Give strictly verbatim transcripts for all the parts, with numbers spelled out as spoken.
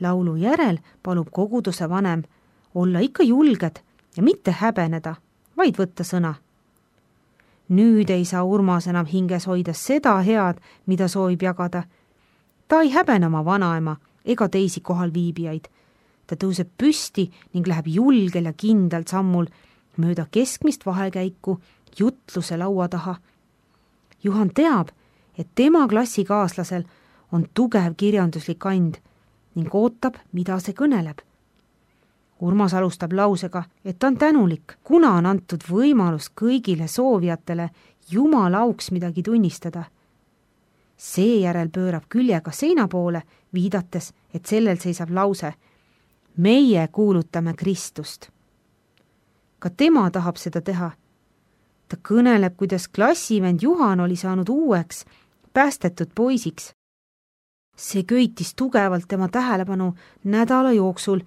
Laulu järel palub koguduse vanem olla ikka julged ja mitte häbeneda, vaid võtta sõna. Nüüd ei saa Urmas enam hinges hoida seda head, mida soovib jagada. Ta ei häbene oma vanaema ega teisi kohal viibijaid. Ta tõuseb püsti ning läheb julgel ja kindlalt sammul mööda keskmist vahekäiku jutluse laua taha. Juhan teab, et tema klassikaaslasel on tugev kirjanduslik and ning ootab, mida see kõneleb. Urmas alustab lausega, et ta on tänulik, kuna on antud võimalus kõigile soovijatele Jumala auks midagi tunnistada. Seejärel pöörab küljega seina poole, viidates, et sellel seisab lause: meie kuulutame Kristust. Ka tema tahab seda teha. Ta kõneleb, kuidas klassivend Juhan oli saanud uueks, päästetud poisiks. See köitis tugevalt tema tähelepanu nädala jooksul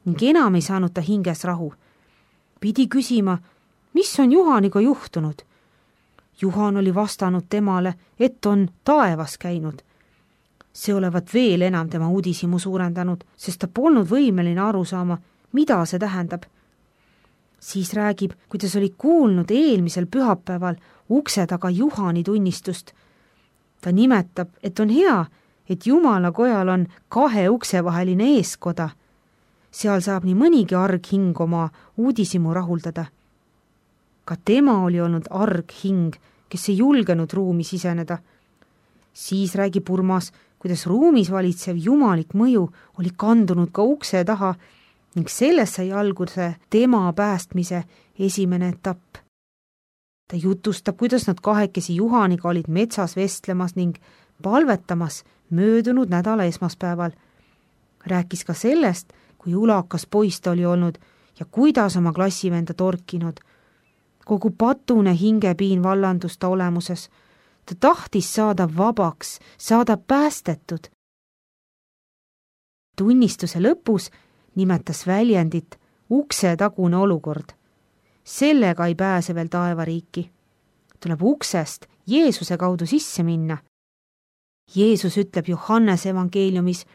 ning enam ei saanud ta hinges rahu. Pidi küsima, mis on Juhaniga juhtunud. Juhan oli vastanud temale, et on taevas käinud. See olevat veel enam tema uudishimu suurendanud, sest ta polnud võimeline aru saama, mida see tähendab. Siis räägib, kuidas oli kuulnud eelmisel pühapäeval ukse taga Juhani tunnistust. Ta nimetab, et on hea, et Jumala kojal on kahe ukse vaheline eeskoda. Seal saab nii mõnigi arg hing oma uudishimu rahuldada. Ka tema oli olnud arg hing, kes ei julgenud ruumi siseneda. Siis räägib Urmas, kuidas ruumis valitsev jumalik mõju oli kandunud ka ukse taha ning sellest sai alguse tema päästmise esimene etapp. Ta jutustab, kuidas nad kahekesi Juhaniga olid metsas vestlemas ning palvetamas möödunud nädala esmaspäeval. Rääkis ka sellest, kui ulakas poiss ta oli olnud ja kuidas oma klassivenda torkinud. Kogu patune hingepiin vallandus ta olemuses. Ta tahtis saada vabaks, saada päästetud. Tunnistuse lõpus nimetas väljendit ukse tagune olukord. Sellega ei pääse veel taevariiki. Tuleb uksest Jeesuse kaudu sisse minna. Jeesus ütleb Johannese evangeeliumis: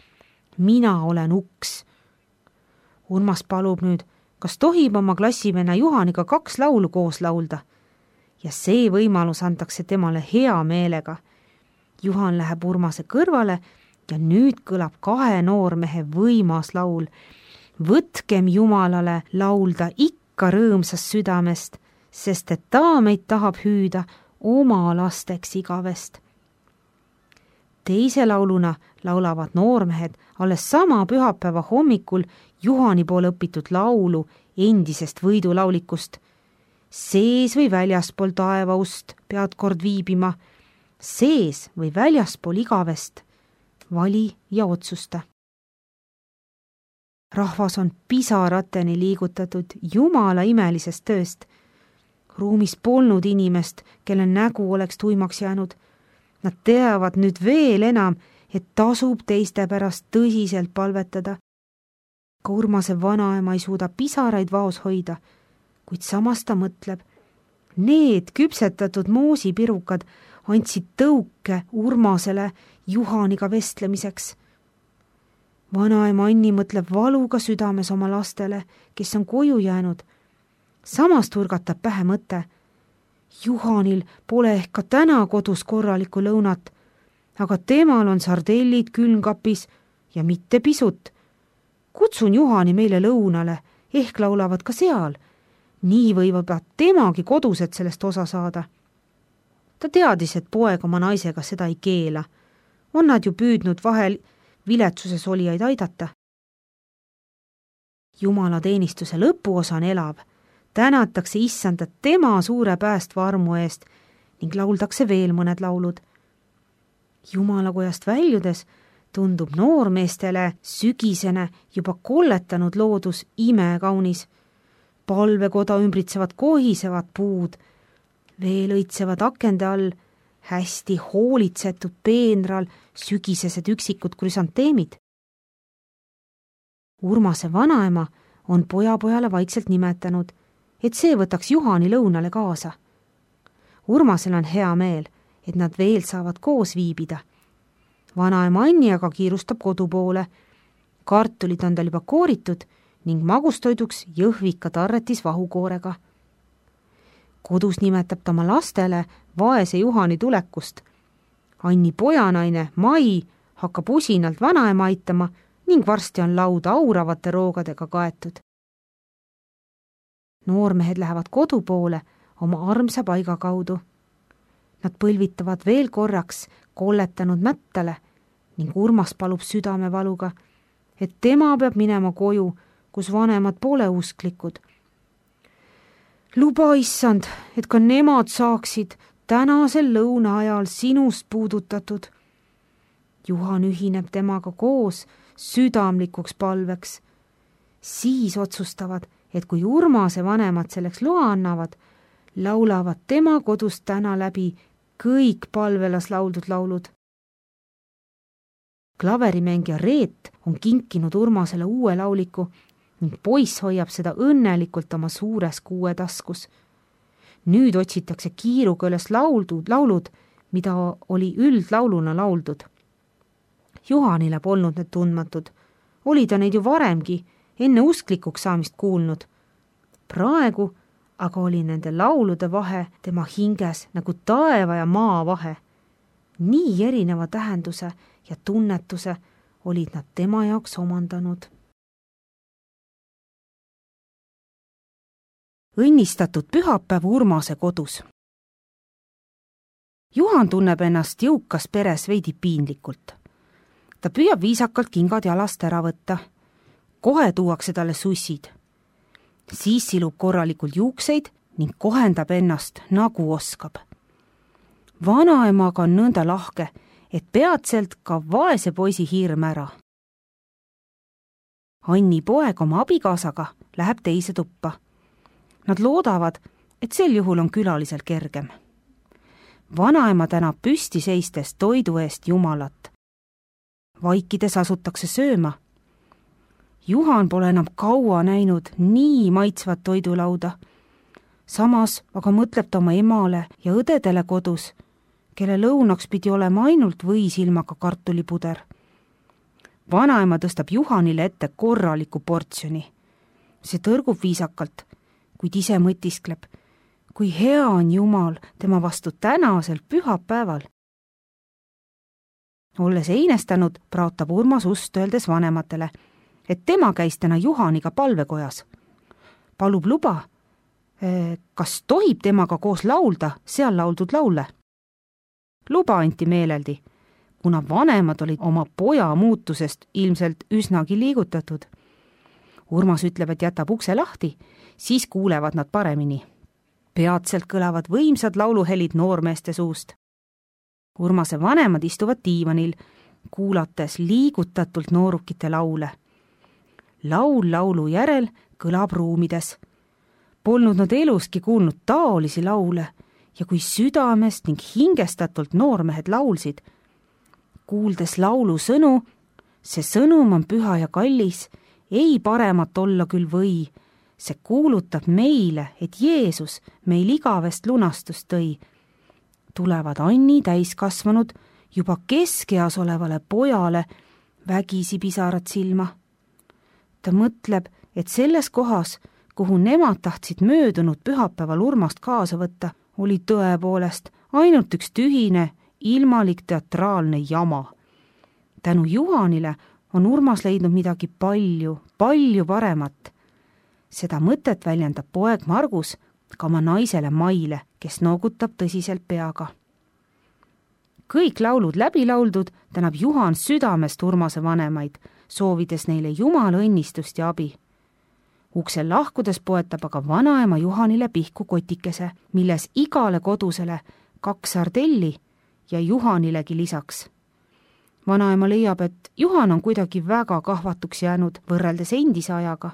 mina olen uks. Urmas palub nüüd, kas tohib oma klassivenna Juhaniga kaks laulu koos laulda. Ja see võimalus antakse temale hea meelega. Juhan läheb Urmase kõrvale ja nüüd kõlab kahe noormehe võimas laul. Võtkem Jumalale laulda ikka rõõmsast südamest, sest et ta meid tahab hüüda oma lasteks igavest. Teise lauluna laulavad noormehed alles sama pühapäeva hommikul Juhani poole õpitud laulu endisest võidulaulikust. Sees või väljaspool taevaust pead kord viibima, sees või väljaspool igavest, vali ja otsusta. Rahvas on pisarateni liigutatud Jumala imelisest tööst. Ruumis polnud inimest, kelle nägu oleks tuimaks jäänud. Nad teavad nüüd veel enam, et tasub teiste pärast tõsiselt palvetada. Ka Urmase vanaema ei suuda pisaraid vaos hoida, kuid samas ta mõtleb, need küpsetatud moosipirukad andsid tõuke Urmasele Juhaniga vestlemiseks. Vanaema Anni mõtleb valuga südames oma lastele, kes on koju jäänud. Samas turgatab pähe mõte. Juhanil pole ehk ka täna kodus korralikku lõunat, aga temal on sardellid külmkapis ja mitte pisut. Kutsun Juhani meile lõunale, ehk laulavad ka seal. Nii võivad temagi kodused sellest osa saada. Ta teadis, et poeg oma naisega seda ei keela. On nad ju püüdnud vahel viletsuses olijaid aidata. Jumala teenistuse lõpuosa on elav. Tänatakse issandat tema suure päästva armu eest ning lauldakse veel mõned laulud. Jumalakojast väljudes tundub noormeestele sügisene juba kolletanud loodus imekaunis. Palvekoda ümbritsevad kohisevad puud, veel õitsevad akende all, hästi hoolitsetud peenral sügisesed üksikud krüsanteemid. Urmase vanaema on poja-pojale vaikselt nimetanud, et see võtaks Juhani lõunale kaasa. Urmasel on hea meel, et nad veel saavad koos viibida. Vanaema Anni aga kiirustab kodu poole. kartulid on tal juba kooritud ning magustoiduks jõhvika tarretis vahukoorega. Kodus nimetab ta oma lastele vaese Juhani tulekust. Anni pojanaine Mai hakkab usinalt vanaema aitama ning varsti on laud auravate roogadega kaetud. Noormehed lähevad kodu poole oma armsa paiga kaudu. Nad põlvitavad veel korraks kolletanud mättale ning Urmas palub südamevaluga, et tema peab minema koju, kus vanemad pole usklikud. Luba, issand, et ka nemad saaksid tänasel lõuna ajal sinust puudutatud. Juhan ühineb temaga koos südamlikuks palveks. Siis otsustavad, et kui Urmase vanemad selleks loa annavad, laulavad tema kodus täna läbi kõik palvelas lauldud laulud. Klaverimängija Reet on kinkinud Urmasele uue lauliku ning poiss hoiab seda õnnelikult oma suures kuue taskus. Nüüd otsitakse kiiruga üles lauldud laulud, mida oli üldlauluna lauldud. Juhanile polnud need tundmatud. Oli ta neid ju varemgi, enne usklikuks saamist kuulnud. Praegu aga oli nende laulude vahe tema hinges nagu taeva ja maa vahe. Nii erineva tähenduse ja tunnetuse olid nad tema jaoks omandanud. Õnnistatud pühapäev Urmase kodus. Juhan tunneb ennast jõukas peres veidi piinlikult. Ta püüab viisakalt kingad jalast ära võtta. Kohe tuuakse talle sussid. Siis silub korralikult juukseid ning kohendab ennast nagu oskab. Vanaemaga on nõnda lahke, et peatselt ka vaese poisi hirm ära. Anni poeg oma abikaasaga läheb teise tuppa. Nad loodavad, et sel juhul on külalisel kergem. Vanaema tänab püsti seistes toidu eest Jumalat. Vaikides asutakse sööma. Juhan pole enam kaua näinud nii maitsvat toidulauda. Samas aga mõtleb ta oma emale ja õdedele kodus, kelle lõunaks pidi olema ainult võisilmaga kartulipuder. Vanaema tõstab Juhanile ette korraliku portsjoni. See tõrgub viisakalt, kuid ise mõtiskleb, kui hea on Jumal tema vastu tänasel pühapäeval. Olles einestanud, praotab Urmas ust öeldes vanematele, et tema käis täna Juhaniga palvekojas. Palub luba, kas tohib temaga koos laulda seal lauldud laule. Luba anti meeleldi, kuna vanemad olid oma poja muutusest ilmselt üsnagi liigutatud. Urmas ütleb, et jätab ukse lahti, siis kuulevad nad paremini. Peatselt kõlavad võimsad lauluhelid noormeeste suust. Urmase vanemad istuvad diivanil, kuulates liigutatult noorukite laule. Laul laulu järel kõlab ruumides. Polnud nad eluski kuulnud taolisi laule ja kui südamest ning hingestatult noormehed laulsid. Kuuldes laulu sõnu, see sõnum on püha ja kallis, ei paremat olla küll või. See kuulutab meile, et Jeesus meil igavest lunastust tõi. Tulevad Anni täiskasvanud juba keskeas olevale pojale vägisi pisarad silma. Ta mõtleb, et selles kohas, kuhu nemad tahtsid möödunud pühapäeval Urmast kaasa võtta, oli tõepoolest ainult üks tühine, ilmalik teatraalne jama. Tänu Juhanile on Urmas leidnud midagi palju, palju paremat. Seda mõtet väljendab poeg Margus ka oma naisele Maile, kes noogutab tõsiselt peaga. Kõik laulud läbi lauldud tänab Juhan südamest Urmase vanemaid, soovides neile Jumala õnnistust ja abi. Uksel lahkudes poetab aga vanaema Juhanile pihku kotikese, milles igale kodusele kaks sardelli ja Juhanilegi lisaks. Vanaema leiab, et Juhan on kuidagi väga kahvatuks jäänud võrreldes endise ajaga.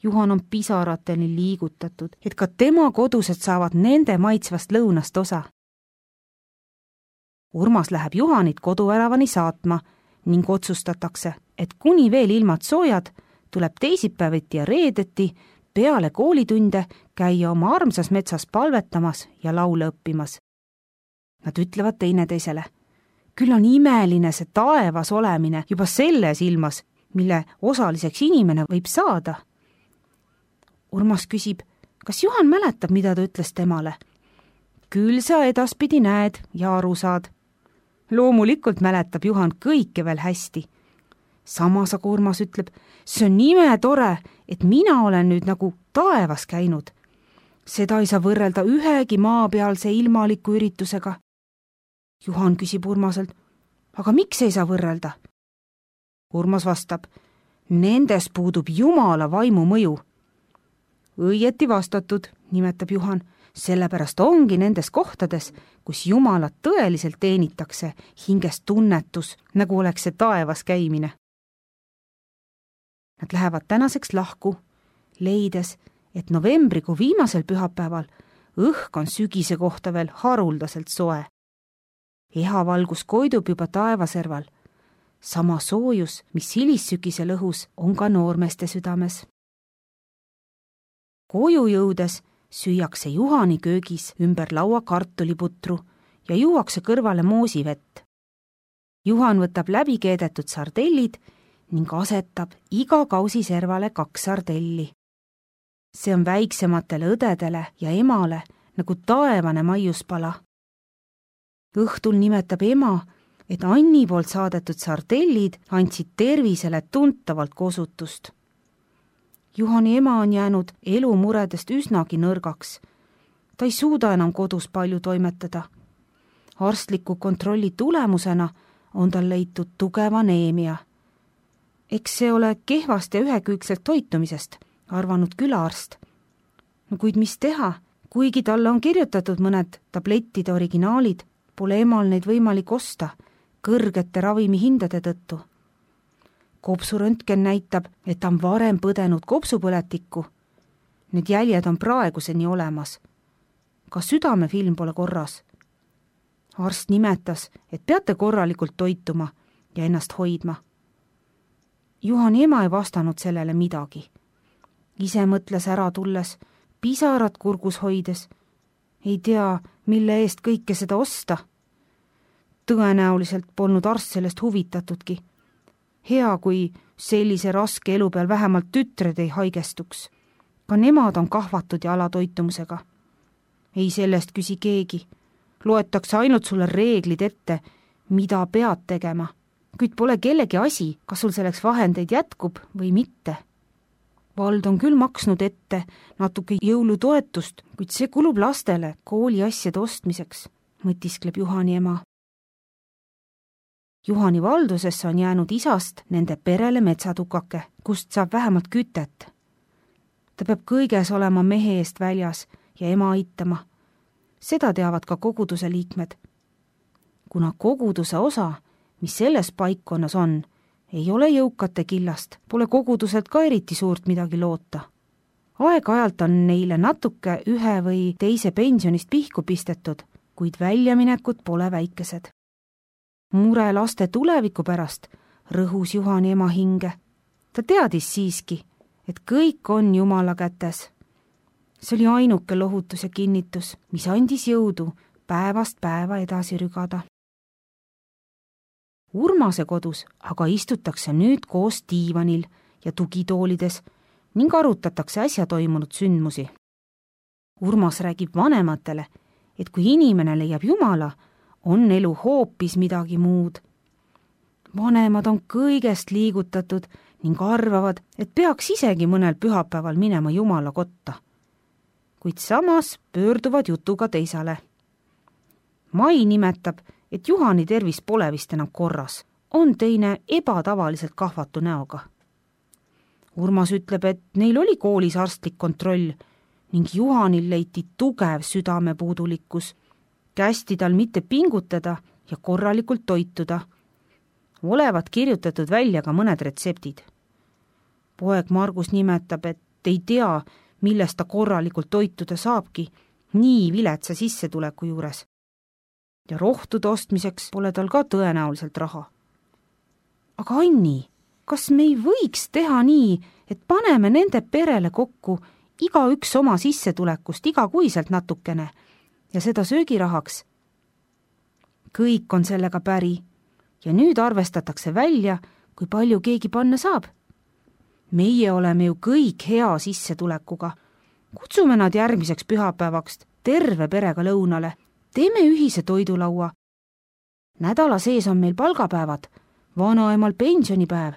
Juhan on pisarateni liigutatud, et ka tema kodused saavad nende maitsvast lõunast osa. Urmas läheb Juhanit koduväravani saatma ning otsustatakse, et kuni veel ilmad soojad, tuleb teisipäeviti ja reedeti peale koolitunde käia oma armsas metsas palvetamas ja laule õppimas. Nad ütlevad teineteisele, küll on imeline see taevas olemine juba selles ilmas, mille osaliseks inimene võib saada. Urmas küsib, kas Juhan mäletab, mida ta ütles temale? Küll sa edaspidi näed ja aru saad. Loomulikult mäletab Juhan kõike veel hästi. Samas aga Urmas ütleb, see on nime tore, et mina olen nüüd nagu taevas käinud. Seda ei saa võrrelda ühegi maapealse ilmaliku üritusega. Juhan küsib Urmaselt, aga miks ei saa võrrelda? Urmas vastab, nendes puudub Jumala vaimu mõju. Õieti vastatud, nimetab Juhan, sellepärast ongi nendes kohtades, kus Jumalat tõeliselt teenitakse, hinges tunnetus, nagu oleks see taevas käimine. Nad lähevad tänaseks lahku, leides, et novembrikuu viimasel pühapäeval õhk on sügise kohta veel haruldaselt soe. Ehavalgus koidub juba taevaserval. Sama soojus, mis hilissügisel õhus, on ka noormeeste südames. Koju jõudes süüakse Juhani köögis ümber laua kartuliputru ja juuakse kõrvale moosivett. Juhan võtab läbi keedetud sardellid ning asetab iga kausi servale kaks sardelli. See on väiksematele õdedele ja emale nagu taevane maiuspala. Õhtul nimetab ema, et Anni poolt saadetud sardellid andsid tervisele tuntavalt kosutust. Juhani ema on jäänud elumuredest üsnagi nõrgaks. Ta ei suuda enam kodus palju toimetada. Arstliku kontrolli tulemusena on tal leitud tugev aneemia. Eks see ole kehvast ja ühekülgselt toitumisest, arvanud külaarst. No kuid mis teha, kuigi talle on kirjutatud mõned tablettide originaalid, pole emal neid võimalik osta kõrgete ravimihindade tõttu. Kopsuröntgen näitab, et ta on varem põdenud kopsupõletikku. Need jäljed on praeguseni olemas. Ka südamefilm pole korras. Arst nimetas, et peate korralikult toituma ja ennast hoidma. Juhani ema ei vastanud sellele midagi. Ise mõtles ära tulles, pisarad kurgus hoides. Ei tea, mille eest kõike seda osta. Tõenäoliselt polnud arst sellest huvitatudki. Hea, kui sellise raske elu peal vähemalt tütred ei haigestuks. Ka nemad on kahvatud ja alatoitumusega. Ei sellest küsi keegi. Loetakse ainult sulle reeglid ette, mida pead tegema. Kuid pole kellegi asi, kas sul selleks vahendeid jätkub või mitte. Vald on küll maksnud ette natuke jõulutoetust, kuid see kulub lastele kooliasjade ostmiseks, mõtiskleb Juhani ema. Juhani valdusesse on jäänud isast nende perele metsatukake, kust saab vähemalt kütet. Ta peab kõiges olema mehe eest väljas ja ema aitama. Seda teavad ka koguduse liikmed. Kuna koguduse osa, mis selles paikkonnas on, ei ole jõukate killast, pole koguduselt ka eriti suurt midagi loota. Aeg-ajalt on neile natuke ühe või teise pensionist pihku pistetud, kuid väljaminekud pole väikesed. Mure laste tuleviku pärast rõhus Juhani ema hinge. Ta teadis siiski, et kõik on Jumala kätes. See oli ainuke lohutus ja kinnitus, mis andis jõudu päevast päeva edasi rügada. Urmase kodus aga istutakse nüüd koos diivanil ja tugitoolides ning arutatakse äsja toimunud sündmusi. Urmas räägib vanematele, et kui inimene leiab Jumala, on elu hoopis midagi muud. Vanemad on kõigest liigutatud ning arvavad, et peaks isegi mõnel pühapäeval minema Jumala kotta. Kuid samas pöörduvad jutuga teisale. Mai nimetab, et Juhani tervis pole vist enam korras, on teine ebatavaliselt kahvatu näoga. Urmas ütleb, et neil oli koolis arstlik kontroll ning Juhanil leiti tugev südamepuudulikkus, kästi tal mitte pingutada ja korralikult toituda. Olevat kirjutatud välja ka mõned retseptid. Poeg Margus nimetab, et ei tea, millest ta korralikult toituda saabki, nii viletsa sissetuleku juures. Ja rohtude ostmiseks pole tal ka tõenäoliselt raha. Aga Anni, kas me ei võiks teha nii, et paneme nende perele kokku iga üks oma sissetulekust igakuiselt natukene ja seda söögirahaks? Kõik on sellega päri ja nüüd arvestatakse välja, kui palju keegi panna saab. Meie oleme ju kõik hea sissetulekuga. Kutsume nad järgmiseks pühapäevaks terve perega lõunale. Teeme ühise toidulaua. Nädala sees on meil palgapäevad, vanaemal pensionipäev.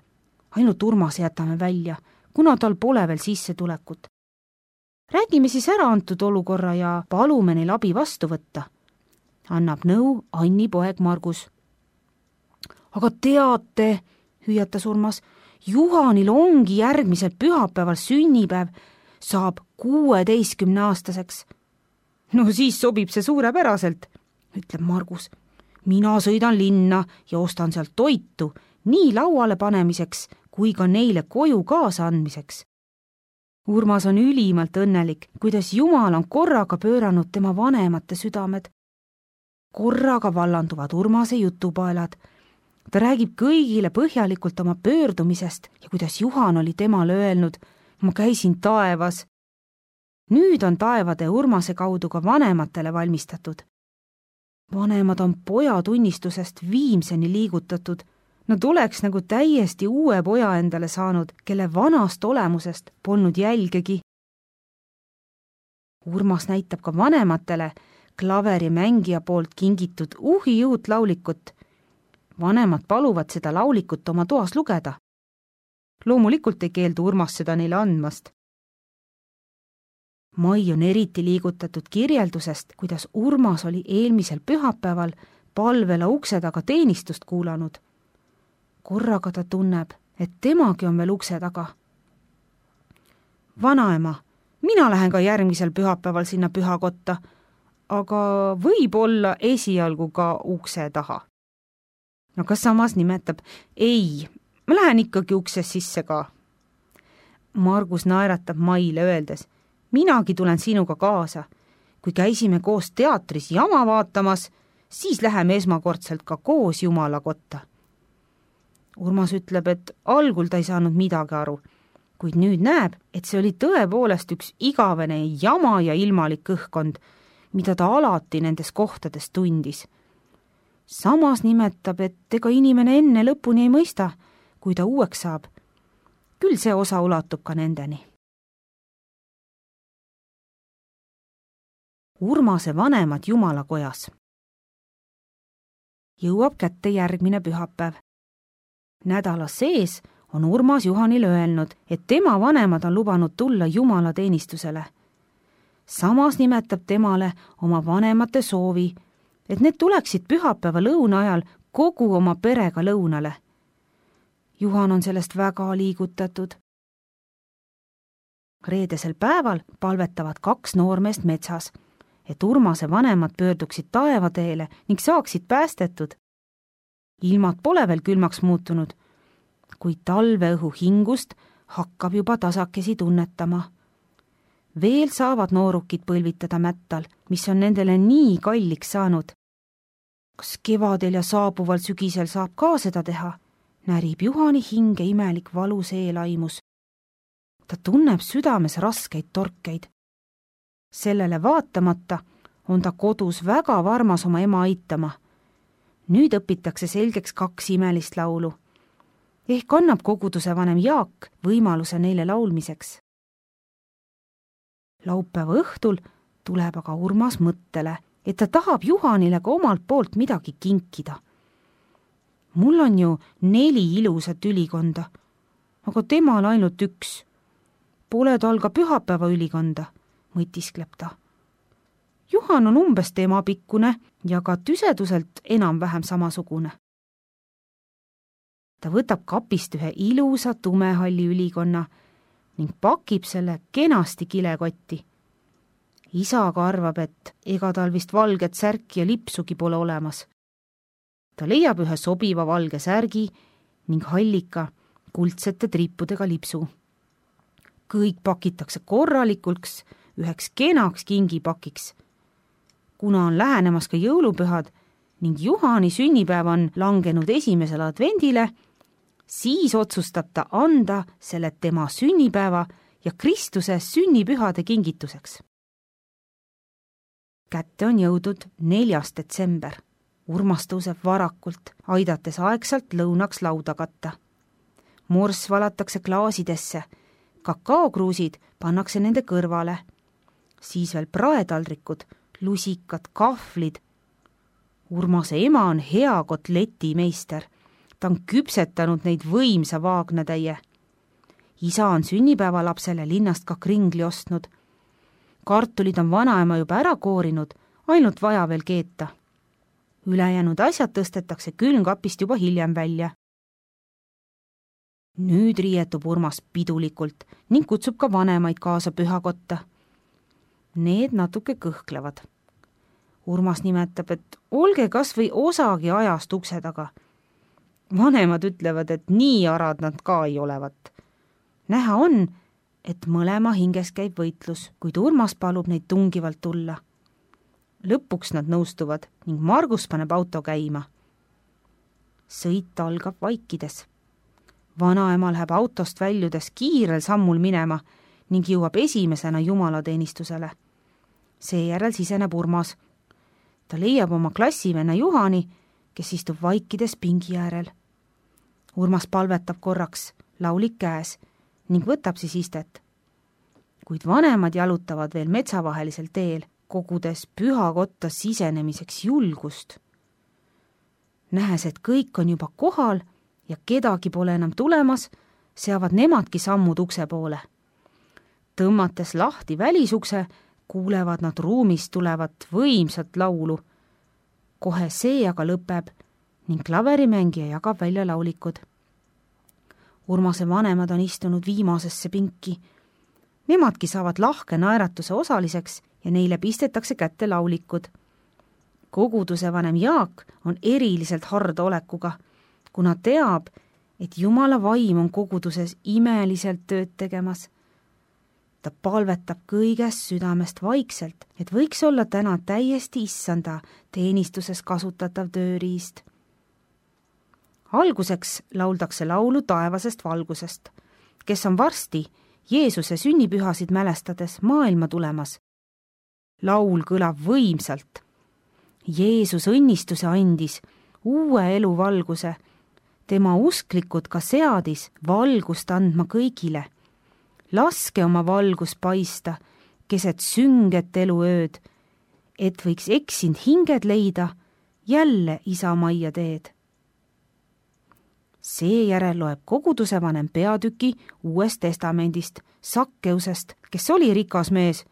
Ainult Urmas jätame välja, kuna tal pole veel sissetulekut. Räägime siis ära antud olukorra ja palume neil abi vastu võtta. Annab nõu Anni poeg Margus. Aga teate, hüüatas Urmas, Juhanil ongi järgmisel pühapäeval sünnipäev, saab kuueteistkümne aastaseks. No siis sobib see suurepäraselt, ütleb Margus. Mina sõidan linna ja ostan sealt toitu nii lauale panemiseks kui ka neile koju kaasa andmiseks. Urmas on ülimalt õnnelik, kuidas Jumal on korraga pööranud tema vanemate südamed. Korraga vallanduvad Urmase jutupaelad. Ta räägib kõigile põhjalikult oma pöördumisest ja kuidas Juhan oli temale öelnud, ma käisin taevas. Nüüd on taevade Urmase kaudu ka vanematele valmistatud. Vanemad on poja tunnistusest viimseni liigutatud. Nad oleks nagu täiesti uue poja endale saanud, kelle vanast olemusest polnud jälgegi. Urmas näitab ka vanematele klaverimängija poolt kingitud uhi uut laulikut. Vanemad paluvad seda laulikut oma toas lugeda. Loomulikult ei keeldu Urmas seda neile andmast. Mai on eriti liigutatud kirjeldusest, kuidas Urmas oli eelmisel pühapäeval palvela ukse taga teenistust kuulanud. Korraga ta tunneb, et temagi on veel ukse taga. Vanaema, mina lähen ka järgmisel pühapäeval sinna pühakotta, aga võib-olla esialgu ka ukse taha. Aga samas nimetab, ei, ma lähen ikkagi ukses sisse ka. Margus naeratab Maile öeldes, minagi tulen sinuga kaasa. Kui käisime koos teatris jama vaatamas, siis läheme esmakordselt ka koos Jumala kotta. Urmas ütleb, et algul ta ei saanud midagi aru, kuid nüüd näeb, et see oli tõepoolest üks igavene jama ja ilmalik õhkkond, mida ta alati nendes kohtades tundis. Samas nimetab, et ega inimene enne lõpuni ei mõista, kui ta uueks saab. Küll see osa ulatub ka nendeni. Urmase vanemad Jumalakojas. Jõuab kätte järgmine pühapäev. Nädala sees on Urmas Juhanile öelnud, et tema vanemad on lubanud tulla Jumala teenistusele. Samas nimetab temale oma vanemate soovi, et need tuleksid pühapäeva lõuna ajal kogu oma perega lõunale. Juhan on sellest väga liigutatud. Reedesel päeval palvetavad kaks noormeest metsas, et Urmase vanemad pöörduksid taevateele ning saaksid päästetud. Ilmad pole veel külmaks muutunud, kuid talveõhu hingust hakkab juba tasakesi tunnetama. Veel saavad noorukid põlvitada mättal, mis on nendele nii kalliks saanud. Kas kevadel ja saabuval sügisel saab ka seda teha? Närib Juhani hinge imelik valus eelaimus. Ta tunneb südames raskeid torkeid. Sellele vaatamata on ta kodus väga varmas oma ema aitama. Nüüd õpitakse selgeks kaks imelist laulu. Ehk annab koguduse vanem Jaak võimaluse neile laulmiseks. Laupäeva õhtul tuleb aga Urmas mõttele, et ta tahab Juhanile ka omalt poolt midagi kinkida. Mul on ju neli ilusat ülikonda, aga temal ainult üks. Pole tal ka pühapäeva ülikonda, mõtiskleb ta. Juhan on umbes tema pikkune ja ka tüseduselt enam-vähem samasugune. Ta võtab kapist ühe ilusa tumehalli ülikonna ning pakib selle kenasti kilekotti. Isa aga arvab, et ega tal vist valget särki ja lipsugi pole olemas. Ta leiab ühe sobiva valge särgi ning hallika kuldsete trippudega lipsu. Kõik pakitakse korralikuks üheks kenaks kingipakiks. Kuna on lähenemas ka jõulupühad ning Juhani sünnipäev on langenud esimesele advendile, siis otsustab ta anda selle tema sünnipäeva ja Kristuse sünnipühade kingituseks. Kätte on jõudnud neljas detsember. Urmas tõuseb varakult, aidates aegsalt lõunaks lauda katta. morss valatakse klaasidesse, kakaokruusid pannakse nende kõrvale, siis veel praetaldrikud, lusikad, kahvlid. Urmase ema on hea kotletimeister, ta on küpsetanud neid võimsa vaagnatäie. Isa on sünnipäevalapsele linnast ka kringli ostnud. Kartulid on vanaema juba ära koorinud, ainult vaja veel keeta. Ülejäänud asjad tõstetakse külmkapist juba hiljem välja. Nüüd riietub Urmas pidulikult ning kutsub ka vanemaid kaasa pühakotta. Need natuke kõhklevad. Urmas nimetab, et olge kas või osagi ajast ukse taga. Vanemad ütlevad, et nii arad nad ka ei olevat. Näha on, et mõlema hinges käib võitlus, kuid Urmas palub neid tungivalt tulla. Lõpuks nad nõustuvad ning Margus paneb auto käima. Sõit algab vaikides. Vanaema läheb autost väljudes kiirel sammul minema ning jõuab esimesena jumalateenistusele. Seejärel siseneb Urmas. Ta leiab oma klassivenna Juhani, kes istub vaikides pingi äärel. Urmas palvetab korraks, laulik käes, ning võtab siis istet. Kuid vanemad jalutavad veel metsavahelisel teel, kogudes pühakotta sisenemiseks julgust. Nähes, et kõik on juba kohal ja kedagi pole enam tulemas, seavad nemadki sammud ukse poole. Tõmmates lahti välisukse, kuulevad nad ruumist tulevat võimsat laulu. Kohe see aga lõpeb ning klaverimängija jagab välja laulikud. Urmase vanemad on istunud viimasesse pinki. Nemadki saavad lahke naeratuse osaliseks ja neile pistetakse kätte laulikud. Koguduse vanem Jaak on eriliselt harda olekuga, kuna teab, et Jumala vaim on koguduses imeliselt tööd tegemas. Ta palvetab kõigest südamest vaikselt, et võiks olla täna täiesti issanda teenistuses kasutatav tööriist. Alguseks lauldakse laulu taevasest valgusest, kes on varsti Jeesuse sünnipühasid mälestades maailma tulemas. Laul kõlab võimsalt. Jeesus õnnistuse andis, uue elu valguse. Tema usklikud ka seadis valgust andma kõigile. Laske oma valgus paista, keset sünget eluööd, et võiks eksind hinged leida, jälle isa majja teed. Seejärel loeb koguduse vanem peatüki Uuest testamendist, Sakkeusest, kes oli rikas mees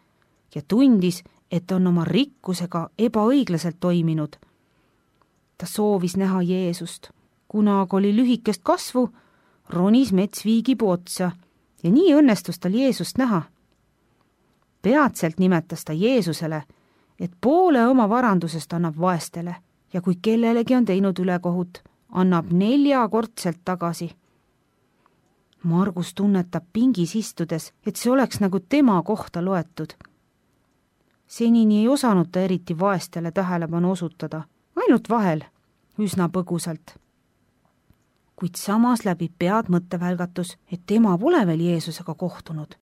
ja tundis, et on oma rikkusega ebaõiglaselt toiminud. Ta soovis näha Jeesust, kuna aga oli lühikest kasvu, ronis metsviigipuu otsa ja nii õnnestus tal Jeesust näha. Peatselt nimetas ta Jeesusele, et poole oma varandusest annab vaestele ja kui kellelegi on teinud ülekohut, annab neljakordselt tagasi. Margus tunnetab pingis istudes, et see oleks nagu tema kohta loetud. Senini ei osanud ta eriti vaestele tähelepanu osutada, ainult vahel, üsna põgusalt. Kuid samas läbi pead mõttevälgatus, et tema pole veel Jeesusega kohtunud.